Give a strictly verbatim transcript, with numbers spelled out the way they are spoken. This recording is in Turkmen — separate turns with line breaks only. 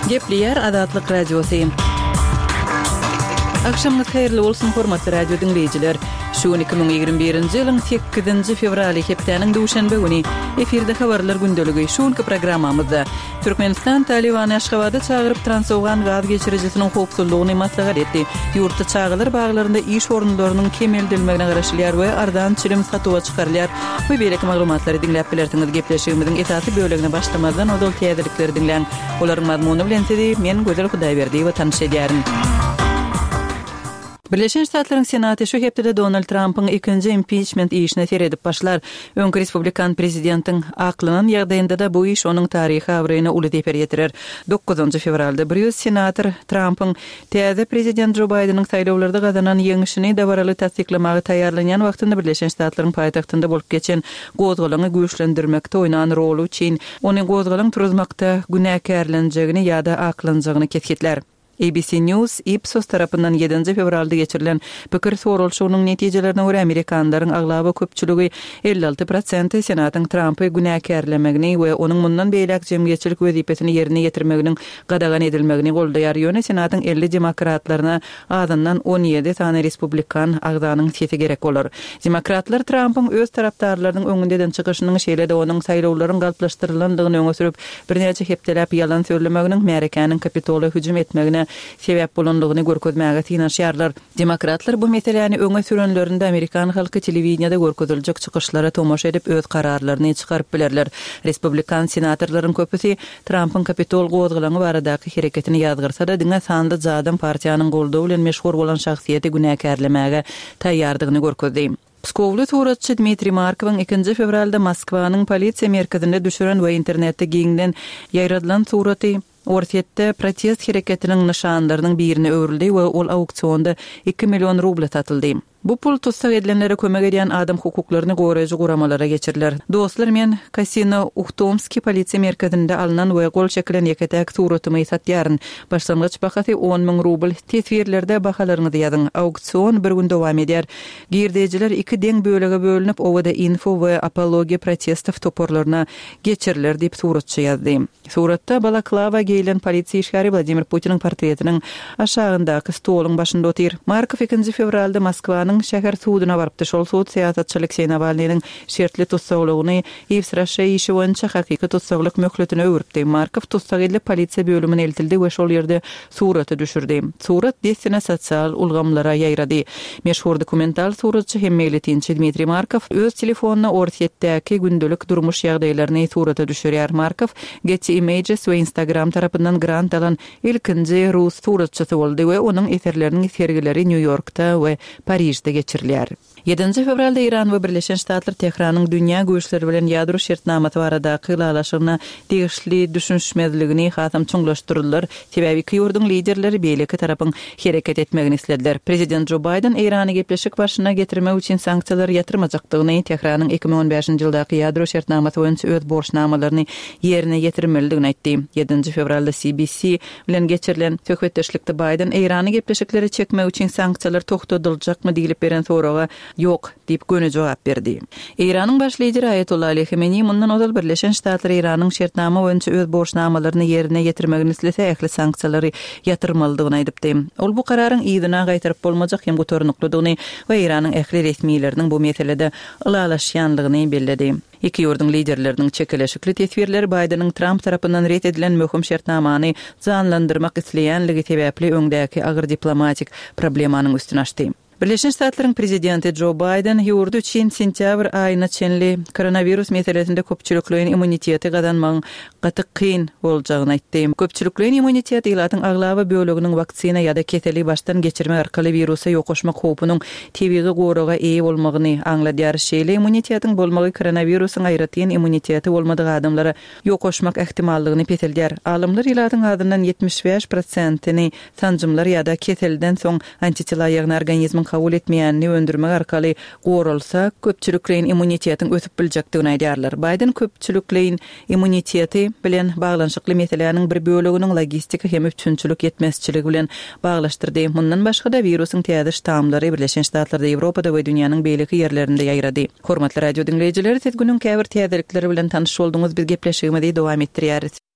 Gepleýär Azatlyk Radiosy. Agşamyňyz haýyrly bolsun, hormatly radio diňleýjiler. Şu gün iki müň ýigrimi birinji ýylyň sekizinji fewraly, hepdäniň duşenbe güni. Efirde habarlar gündeligi. Şu günki programmamyzda Türkmenistan Talybany Aşgabada çagyryp, Transowgan gaz geçirijisiniň howpsuzlygyny maslahat etdi. Ýurtda çagalar baglarynda iş orunlarynyň kemeldilmegine garaşylýar we arzan çilim satuwa çykarylýar. We beýleki maglumatlary diňläp bilersiňiz. Gepleşigimiziň esasy bölegine başlamazdan ozal täzelikleri diňläň. Olaryň mazmuny bilen sizi men Gözel Hudaýberdiýewa tanyş edýärin. Birleşen Ştatlaryň Senaty şu hepdede Donald Trampyň ikinji impiçment işine seredip başlar. Öňki respublikan prezidentiň aklanan ýagdaýynda-da bu iş onuň taryhy abraýyna uly zeper ýetirer. Dokuzynjy fewralda bir ýüz senator Trampyň täze prezident Jo Baýdeniň saýlawlarda gazanan ýeňşini dabaraly tassyklamaga taýýarlanýan wagtynda Birleşen Ştatlaryň paýtagtynda bolup geçen gozgalaňy güýçlendirmekde oýnan roly üçin ony gozgalaň turuzmakda günäkärlenjegini ýa-da aklanjagyny kesgitlär. A B C News Ipsos tarapyndan ýedinji fewralda geçirilen pikir soralyşygynyň netijelerine görä amerikanlaryň aglaba köpçüligi elli alty prosenti Senatyň Trampy günäkärlemegini we onuň mundan beýläk jemgyýetçilik wezipesini ýerine ýetirmeginiň gadagan edilmegini goldaýar. Ýöne Senatyň elli demokratlaryna azyndan on ýedi sany respublikan agzanyň sesi gerek bolar. Demokratlar Trampyň öz tarapdarlarynyň öňünde eden çykyşynyň şeýle-de onuň saýlawlaryň galplaşdyrylandygyny öňe sürüp, birnäçe hepdeläp ýalan sözlemeginiň märekäniň Kapitola hüjüm etmegine sebäp bolanlygyny görkezmäge synanyşýarlar. Demokratlar bu meseläni öňe sürenlerinde amerikan halky telewideniýede görkeziljek çykyşlara tomaşa edip öz kararlaryny çykaryp bilerler. Respublikan senatorlaryň köpüsi Trampyň Kapitol gozgalaňy baradaky hereketini ýazgyrsa-da diňe sanly jadam partiýanyň goldawy bilen meşhur bolan şahsyýeti günäkärlemäge taýýardygyny görkezdi. Pskowly suratçy Dmitriý Markowyň ikinji fewralda Moskwanyň polisiýa merkezinde düşüren we internetde giňden ýaýradylan suraty Orsýetde protest hereketiniň nyşanlarynyň birine öwrüldi we ol auksionda iki million rubla satyldy. Bu pul tussag edilenlere kömek edýän adam hukuklaryny goraýjy guramalara geçiriler. Dostlar, men Kasino Uhtomski polisiýa merkezinde alynan we gol çekilen ýeke-täk suratymy satýaryn. Başlangyç bahasy on müň rubl. Teswirlerde bahalaryňyzy ýazyň. Auksion bir gün dowam edýär. Girdejiler iki deň bölege bölünip, Owada Info we Apologiya protestov toparlaryna geçiriler diýip suratçy ýazdy. Suratda balaklava geýilen polisiýa işgäri Wladimir Putiniň portretiniň aşagyndaky stoluň başynda otyr. Markov ikinji fewralda Moskwanyň şäher suduna barypdy. Şol sud syýasatçy Alekseý Nawalnynyň şertli tussaglygyny Ýewsraşe işi boýunça hakyky tussaglyk möhletine öwüripdi. Markov tussag edilip polisiýa bölümine eltildi we şol ýerde suraty düşürdi. Surat dessine sosial ulgamlara ýaýrady. Meşhur dokumental suratçy hem meýletinçi Dmitriý Markov öz telefonyna Orsýetdäki gündelik durmuş ýagdaýlaryny surata düşürýär. Markov Getty Images we Instagram tarapyndan grant alan ilkinji rus suratçysy boldy we onuň eserleriniň sergileri Nýu-Ýorkda we Parižde geçirilýär. Ýedinji fewralda Iran we Birleşen Ştatlar Tehranyň dünýä güýçleri bilen ýadro şertnamasy baradaky ylalaşygyna degişli düşünişmezligini hasam çuňlaşdyrdylar. Sebäbi iki ýurduň liderleri beýleki tarapyň hereket etmegini islediler. Prezident Joe Biden Irany gepleşik başyna getirmek üçin sanksiýalary ýatyrmajakdygyny, Tehranyň iki müň on bäşinji ýyldaky ýadro şertnamasy boýunça öz borçnamalaryny ýerine ýetirmelidigini aýtdy. Ýedinji fewralda C B C bilen geçirilen söhbetdeşlikde Biden Irany gepleşikleri çekmek üçin sanksiýalar togtadyljakmy diýilip beren soraga ýok diýip göni jogap berdi. Iranyň baş lideri Aýatollah Ali Khamenei mundan ozal Birleşen Ştatlar Iranyň şertnama boýunça öz borçnamalaryny ýerine ýetirmegini islese ähli sanksiýalary ýatyrmalydygyny aýdypdy. Ol bu kararyň yzyna gaýtaryp bolmajak hem gutarnyklydygyny we Iranyň ähli resmileriniň bu meselede ylalaşýanlygyny belledi. Iki ýurduň liderleriniň çekeleşikli teswirleri Baýdeniň Trump tarapyndan ret edilen möhüm şertnamany janlandyrmak isleýänligi sebäpli öňdäki agyr diplomatik problemanyň üstüne açdy. Birleşen Ştatlaryň prezidenti Joe Biden ýurdy üçin sentýabr aýyna çenli koronawirus meselesinde köpçülikleýin immuniteti gazanmagyň gaty kyn boljagyny aýtdy. Köpçülikleýin immunitet ilatyň aglaba böleginiň waksina ýa-da keseli başdan geçirmek arkaly wirusa ýokaşmak howpunyň tebigy goraga eýe bolmagyny aňladýar. Şeýle immunitetiň bolmagy koronawirusyň aýratyn immuniteti bolmadyk adamlara ýokaşmak ähtimallygyny peseldýär. Alymlar ilatyň azyndan ýetmiş bäş prosentini sanjymlar ýa-da keselden soň antitela ýagny organizmiň kabul etmeýänini öndürmek arkaly goralsa, köpçülikleýin immunitetiň ösüp biljekdigini aýdýarlar. Biden köpçülikleýin immuniteti bilen baglanyşykly meseläniň bir böleginiň logistika hem üpjünçilik ýetmezçiligi bilen baglaşdyrdy. Mundan başga-da wirusyň täze ştamlary Birleşen Ştatlarda, Ýewropada we dünýäniň beýleki ýerlerinde ýaýrady. Hormatly radio diňleýjiler, siz günüň käbir täzelikleri bilen tanyş bolduňyz. Biz gepleşigimizi dowam etdirýäris.